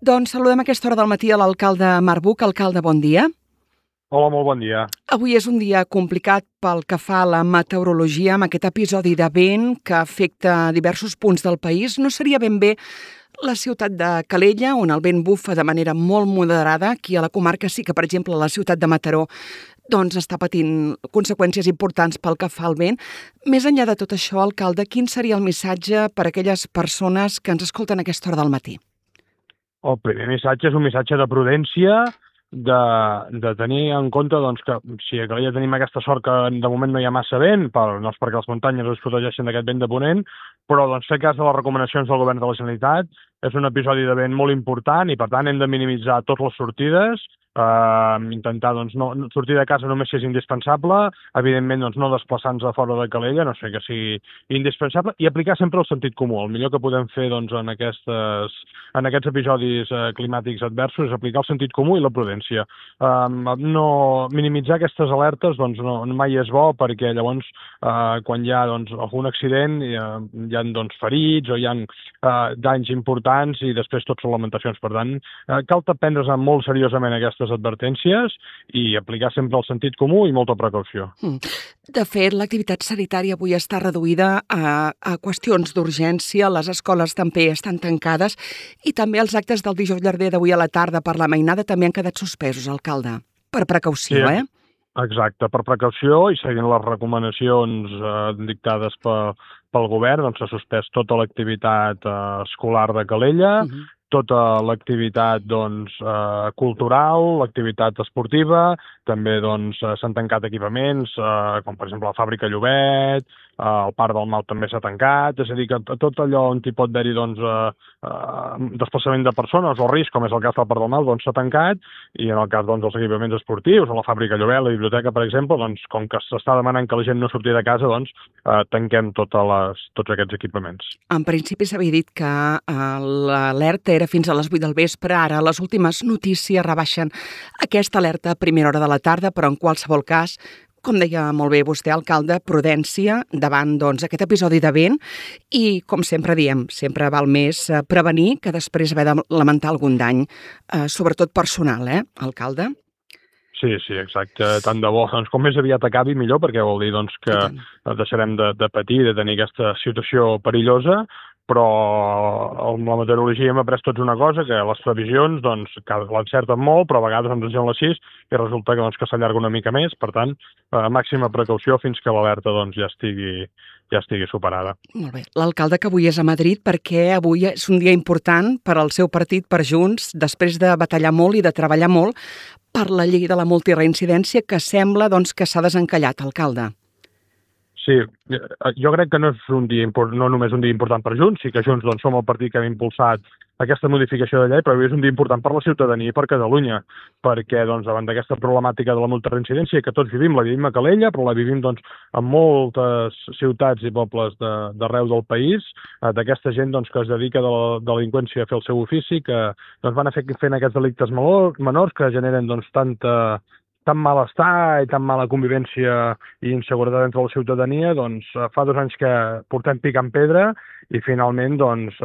Doncs saludem a aquesta hora del matí a l'alcalde Marc Buch. Alcalde, bon dia. Hola, molt bon dia. Avui és un dia complicat pel que fa a la meteorologia, amb aquest episodi de vent que afecta diversos punts del país. No seria ben bé la ciutat de Calella, on el vent bufa de manera molt moderada. Aquí a la comarca sí que, per exemple, la ciutat de Mataró doncs està patint conseqüències importants pel que fa al vent. Més enllà de tot això, alcalde, quin seria el missatge per a aquelles persones que ens escolten a aquesta hora del matí? El primer missatge és un missatge de prudència, de tenir en compte doncs, que si a Calella tenim aquesta sort que de moment no hi ha massa vent, perquè les muntanyes es protegeixen d'aquest vent de ponent, però doncs, fer cas de les recomanacions del govern de la Generalitat. És un episodi de vent molt important i, per tant, hem de minimitzar totes les sortides, intentar doncs, no sortir de casa només si és indispensable, evidentment doncs, no desplaçar-nos a fora de Calella, no sé que sigui indispensable, i aplicar sempre el sentit comú. El millor que podem fer doncs, en aquests episodis climàtics adversos és aplicar el sentit comú i la prudència. No minimitzar aquestes alertes doncs, no mai és bo, perquè llavors quan hi ha doncs, algun accident hi ha doncs, ferits o hi ha danys importants i després tot són lamentacions. Per tant, cal prendre's molt seriosament aquestes advertències i aplicar sempre el sentit comú i molta precaució. De fet, l'activitat sanitària avui està reduïda a qüestions d'urgència, les escoles també estan tancades i també els actes del dijous llarder d'avui a la tarda per la mainada també han quedat suspesos, alcalde, per precaució, sí. Exacte, per precaució i seguint les recomanacions dictades pel govern, doncs s'ha suspès tota l'activitat escolar de Calella, tota l'activitat doncs, cultural, l'activitat esportiva, també doncs, s'han tancat equipaments, com per exemple la fàbrica Llobet, el Parc del Mal també s'ha tancat, és a dir, que tot allò on hi pot haver-hi doncs, desplaçament de persones o risc, com és el cas del Parc del Mal, doncs s'ha tancat, i en el cas doncs, dels equipaments esportius, o la fàbrica Llobet, la biblioteca, per exemple, doncs, com que s'està demanant que la gent no surti de casa, doncs tanquem tots aquests equipaments. En principi s'havia dit que l'alerta era fins a les 8 del vespre, ara les últimes notícies rebaixen aquesta alerta a primera hora de la tarda, però en qualsevol cas, com deia molt bé vostè, alcalde, prudència davant doncs, aquest episodi de vent i, com sempre diem, sempre val més prevenir que després haver de lamentar algun dany, sobretot personal, alcalde? Sí, exacte. Tant de bo. Doncs com més aviat acabi, millor, perquè vol dir doncs, que deixarem de patir, de tenir aquesta situació perillosa, però amb la meteorologia hem après tots una cosa, que les previsions doncs, l'encerten molt, però a vegades ens diuen les 6 i resulta que s'allarga una mica més. Per tant, màxima precaució fins que l'alerta doncs, ja estigui superada. Molt bé. L'alcalde que avui és a Madrid perquè avui és un dia important per al seu partit, per Junts, després de batallar molt i de treballar molt per la llei de la multireincidència que sembla doncs, que s'ha desencallat, alcalde. Sí, jo crec que no és no només un dia important per Junts, sí que Junts doncs, som el partit que hem impulsat aquesta modificació de llei, però és un dia important per la ciutadania i per Catalunya, perquè doncs, davant d'aquesta problemàtica de la multireincidència que tots vivim, la vivim a Calella, però la vivim doncs, en moltes ciutats i pobles d'arreu del país, d'aquesta gent doncs, que es dedica de la delinqüència a fer el seu ofici, que doncs, van fent aquests delictes menors que generen doncs, tan malestar i tan mala convivència i inseguretat entre la ciutadania, doncs fa 2 anys que portem picant pedra i finalment doncs,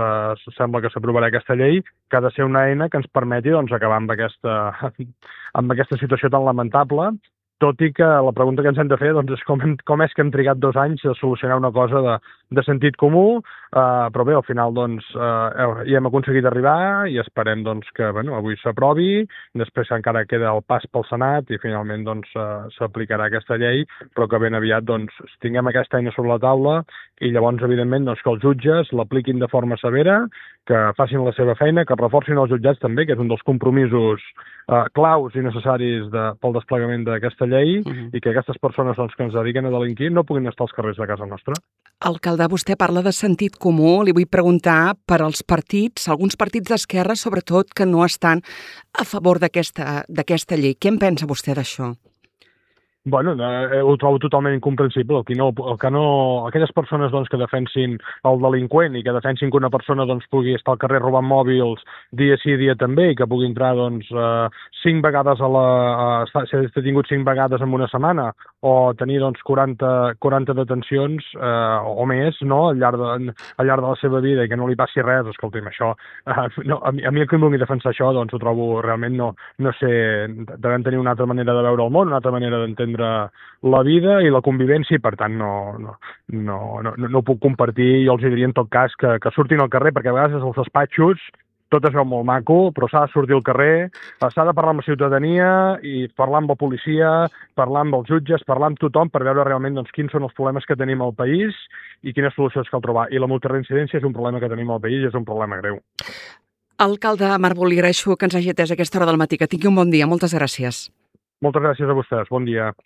sembla que s'aprovarà aquesta llei que ha de ser una eina que ens permeti doncs, acabar amb aquesta situació tan lamentable, tot i que la pregunta que ens hem de fer doncs, és com és que hem trigat 2 anys a solucionar una cosa de sentit comú, però bé, al final doncs, hi hem aconseguit arribar i esperem doncs, que avui s'aprovi, després encara queda el pas pel Senat i finalment doncs, s'aplicarà aquesta llei, però que ben aviat doncs, tinguem aquesta eina sobre la taula i llavors, evidentment, doncs, que els jutges l'apliquin de forma severa, que facin la seva feina, que reforcin els jutjats també, que és un dels compromisos claus i necessaris pel desplegament d'aquesta llei i que aquestes persones doncs, que ens dediquen a delinquir no puguin estar als carrers de casa nostra. Alcalde, vostè parla de sentit comú. Li vull preguntar per als partits, alguns partits d'esquerra, sobretot, que no estan a favor d'aquesta llei. Què en pensa vostè d'això? Bueno, ho trobo totalment incomprensible. Aquelles persones doncs, que defensin el delinqüent i que defensin que una persona doncs, pugui estar al carrer robant mòbils dia sí, dia també, i que pugui entrar doncs, 5 vegades ser detingut 5 vegades en una setmana, o tenir doncs, 40 detencions o més, no?, al llarg de la seva vida, i que no li passi res. Escolti'm, això, no, a mi el que em vulgui defensar això, doncs ho trobo realment, no sé, devem tenir una altra manera de veure el món, una altra manera d'entendre la vida i la convivència, i per tant no ho puc compartir. Jo els diria en tot cas que surtin al carrer, perquè a vegades els despatxos tot es veu molt maco, però s'ha de sortir al carrer, s'ha de parlar amb la ciutadania i parlar amb la policia, parlar amb els jutges, parlar amb tothom per veure realment doncs, quins són els problemes que tenim al país i quines solucions cal trobar. I la multireincidència és un problema que tenim al país i és un problema greu. Alcalde Marbol, li agraeixo que ens hagi atès a aquesta hora del matí. Que tingui un bon dia. Moltes gràcies. Moltes gràcies a vostès. Bon dia.